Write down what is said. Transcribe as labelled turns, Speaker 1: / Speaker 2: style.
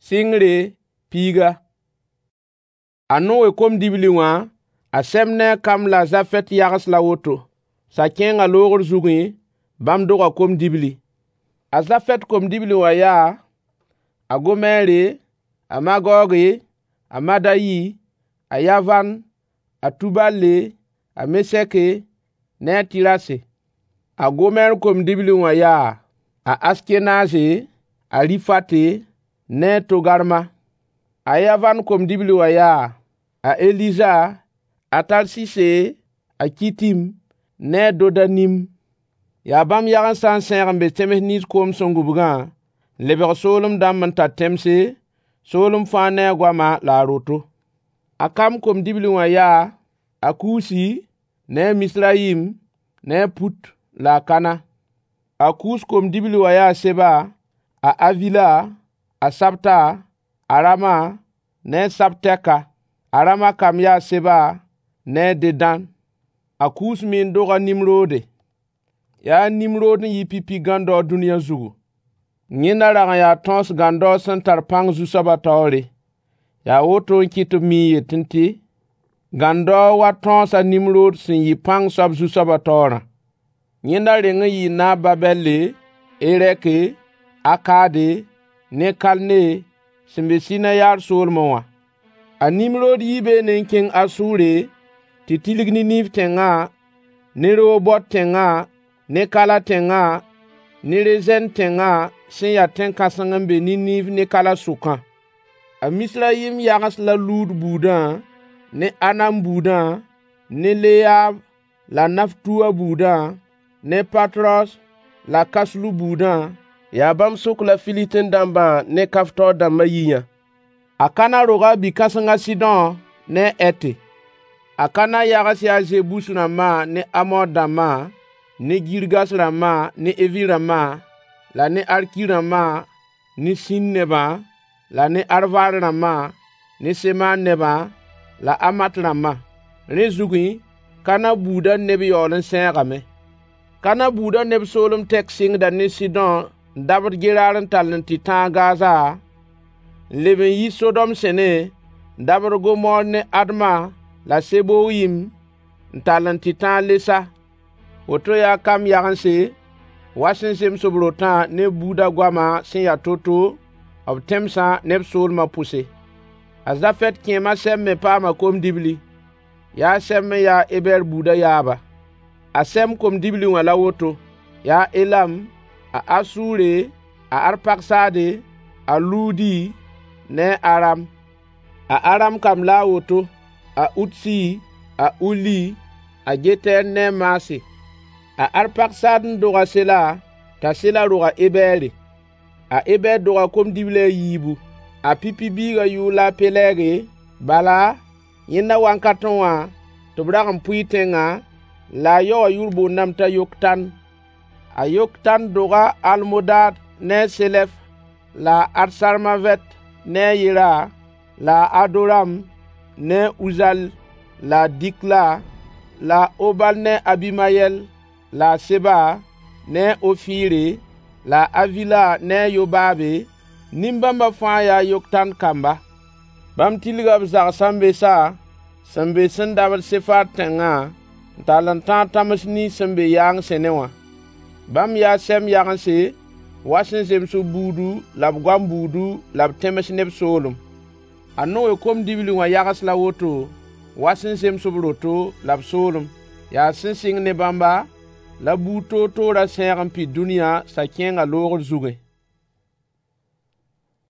Speaker 1: Sɩngre, piiga. A Noe kom-dibli wã, a Sɛm ne a Kam la a Zafɛt yags la woto. Sa-kẽengã loogr zugẽ, bãmb doga kom-dibli. A Zafɛt kom-dibli wã yaa: a Gomɛɛre, a Magɔɔge, a Madayi, a Yavan, a Tubale, a Mesɛke ne a Tɩrase. A Gomɛɛr kom-dibli wã yaa: a Askenaze, a Rifate ne a Togarma. A Yavan kom-dibli wã yaa: a Eliza, a Tarsise, a Kitim ne a Dodanim. Yaa bãmb yagensã n sẽeg n be tẽms nins koom sẽn gũbgã n lebg soolem dãmb n tar tẽmse, soolem fãa ne a goama la a roto. A Kam kom-dibli wã yaa: a Kusi ne a Misrayim ne a Put la a Kana. A Kus kom-dibli wã yaa a Seba, a Avila, a Sabta, a Rama ne a Sabtɛka. A Rama kamb yaa Seba ne a Dedãn. A Kus me n dog a Nimroode. Yaa a Nimrood n yɩ pipi gãndao dũniyã zugu. Yẽnda rag n yaa tõos gãndao sẽn tar pãng Zu-soabã taoore. Yaa woto n kɩt tɩ b mii n yetẽ tɩ: Gãndao wa tõos a Nimrood sẽn yɩ pãng soab Zu-soabã taoorã. Yẽnda reng n yɩɩ naab Babɛlle, Erɛke, Akade ne Kalne sẽn be Sɩnayaar soolmẽ wã. A Nimrood yii beene n kẽng Asʋʋre tɩ tilg Niniiv tẽngã ne Rehobot tẽngã ne Kala tẽngã ne Rezɛn tẽngã sẽn ya tẽn-kãseng n be Niniiv ne Kala sʋkã. A Misrayim yags la Luud buudã ne Anam buudã ne Leyaab la Naftuwa buudã ne Patros la Kaslu buudã. Yaa bãmb sʋk la Filistin dãmbã ne Kaftor dãmbã yiiyã. A Kana roga a bi-kãseng a Sɩdõ ne a Hɛte. A Kana yags yaa Zebus rãmbã ne Amor dãmbã ne Girgas rãmbã ne Evi rãmbã la ne Arki rãmbã ne Sĩn nebã la ne Arvad rãmbã ne Semaar nebã la Hamat rãmbã. Rẽ zugẽ, Kana buudã neb yaool n sẽegame. Kana buudã neb soolem tɛk sɩngda ne Sɩdõ n dabd Gerar n tall n tɩ tãag Gaza, n leb n yi Sodom sẽne n dabd Gomor ne Adma la Seboyim n tall n tɩ tãag Lesa. Woto yaa Kam yagense, wa sẽn zems b rotã ne b buudã goama sẽn ya to-to, b tẽmsã ne b soolmã pʋse. A Zafɛt kẽem a Sɛm me paama kom-dibli. Yaa a Sɛm n ya a Ebɛɛr buudã yaaba. A Sɛm kom-dibli wã la woto: yaa a Elam, a Asʋʋre, a Arpaksaade, a Luudi ne a Aram. A Aram kamb la a woto: a Utsi, a Uli, a Getɛɛr ne a Maase. A Arpaksaad n dog a Sela, t'a Sela rog a Ebɛɛre. A Ebɛɛr doga kom-dibli a yiibu. A pipi biigã yʋʋr la a Pelɛɛge, bala, yẽnda wakatẽ wã tɩ b rag n pʋɩ tẽngã, la a yao wã yʋʋr boondame t'a Yoktan. A Yoktan doga a Almodaad ne a Selɛf la a Hatsarmavɛt ne a Yera la a Adoram ne a Uzal la a Dikla la a Obal ne a Abimayɛl la a Seba ne a Ofiire la a Avila ne a Yobaabe. Nin-bãmbã fãa yaa Yoktan kamba. Bãmb tilga b zags-sãn-besa sẽn be sẽn dabd Sefar tẽngã n tall n tãag tãms nins sẽn be yaang sẽne wã. Bãmb yaa Sɛm yagense, wa sẽn zems b buudu la b goam buudu la b tẽms ne b soolem. A Noe kom-dibli wã yags la woto, wa sẽn zems b roto la b soolem. Yaa sẽn sɩng ne bãmba la buud toor-toorã sẽeg n pid dũniyã sa-kẽengã loogr zugẽ.